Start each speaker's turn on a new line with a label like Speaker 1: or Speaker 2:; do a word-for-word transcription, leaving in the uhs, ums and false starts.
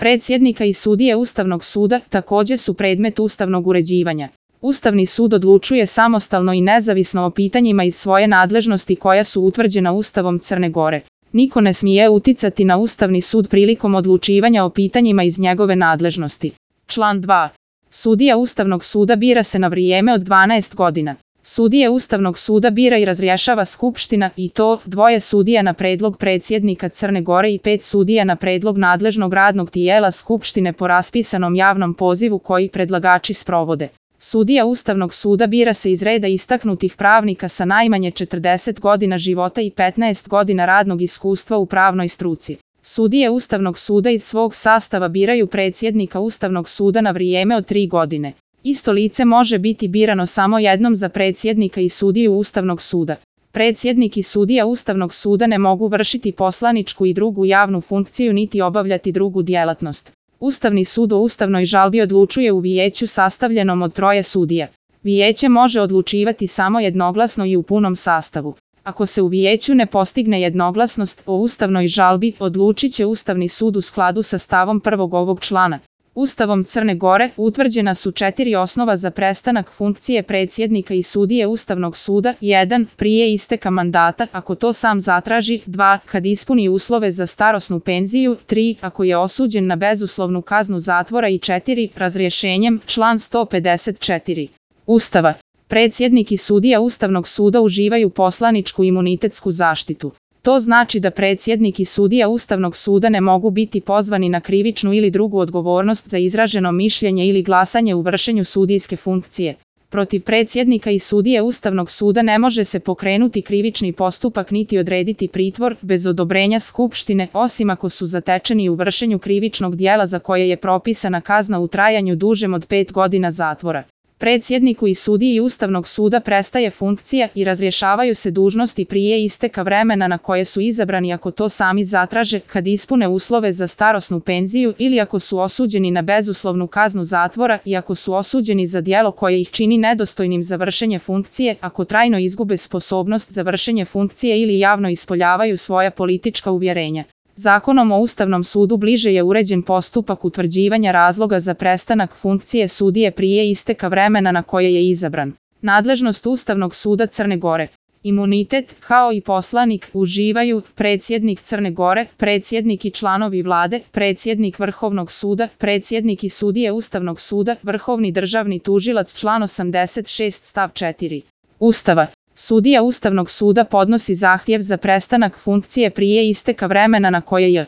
Speaker 1: Predsjednika i sudije Ustavnog suda također su predmet ustavnog uređivanja. Ustavni sud odlučuje samostalno i nezavisno o pitanjima iz svoje nadležnosti koja su utvrđena Ustavom Crne Gore. Niko ne smije uticati na Ustavni sud prilikom odlučivanja o pitanjima iz njegove nadležnosti. Član dva. Sudija Ustavnog suda bira se na vrijeme od dvanaest godina. Sudije Ustavnog suda bira i razrješava Skupština, i to dvoje sudija na predlog predsjednika Crne Gore i pet sudija na predlog nadležnog radnog tijela Skupštine po raspisanom javnom pozivu koji predlagači sprovode. Sudija Ustavnog suda bira se iz reda istaknutih pravnika sa najmanje četrdeset godina života i petnaest godina radnog iskustva u pravnoj struci. Sudije Ustavnog suda iz svog sastava biraju predsjednika Ustavnog suda na vrijeme od tri godine. Isto lice može biti birano samo jednom za predsjednika i sudiju Ustavnog suda. Predsjednik i sudija Ustavnog suda ne mogu vršiti poslaničku i drugu javnu funkciju niti obavljati drugu djelatnost. Ustavni sud o ustavnoj žalbi odlučuje u vijeću sastavljenom od troje sudija. Vijeće može odlučivati samo jednoglasno i u punom sastavu. Ako se u vijeću ne postigne jednoglasnost o ustavnoj žalbi, odlučit će Ustavni sud u skladu sa stavom prvog ovog člana. Ustavom Crne Gore utvrđena su četiri osnova za prestanak funkcije predsjednika i sudije Ustavnog suda. jedan. Prije isteka mandata, ako to sam zatraži. dva. Kad ispuni uslove za starosnu penziju. tri. Ako je osuđen na bezuslovnu kaznu zatvora. I četiri. Razrješenjem. Član sto pedeset četiri. Ustava. Predsjednik i sudija Ustavnog suda uživaju poslaničku imunitetsku zaštitu. To znači da predsjednik i sudija Ustavnog suda ne mogu biti pozvani na krivičnu ili drugu odgovornost za izraženo mišljenje ili glasanje u vršenju sudijske funkcije. Protiv predsjednika i sudije Ustavnog suda ne može se pokrenuti krivični postupak niti odrediti pritvor bez odobrenja Skupštine, osim ako su zatečeni u vršenju krivičnog djela za koje je propisana kazna u trajanju dužem od pet godina zatvora. Predsjedniku i sudiji Ustavnog suda prestaje funkcija i razrješavaju se dužnosti prije isteka vremena na koje su izabrani ako to sami zatraže, kad ispune uslove za starosnu penziju ili ako su osuđeni na bezuslovnu kaznu zatvora i ako su osuđeni za djelo koje ih čini nedostojnim za vršenje funkcije, ako trajno izgube sposobnost za vršenje funkcije ili javno ispoljavaju svoja politička uvjerenja. Zakonom o Ustavnom sudu bliže je uređen postupak utvrđivanja razloga za prestanak funkcije sudije prije isteka vremena na koje je izabran. Nadležnost Ustavnog suda Crne Gore. Imunitet, kao i poslanik, uživaju predsjednik Crne Gore, predsjednik i članovi vlade, predsjednik Vrhovnog suda, predsjednik i sudije Ustavnog suda, vrhovni državni tužilac, član osamdeset šest stav četiri. Ustava. Sudija Ustavnog suda podnosi zahtjev za prestanak funkcije prije isteka vremena na koje je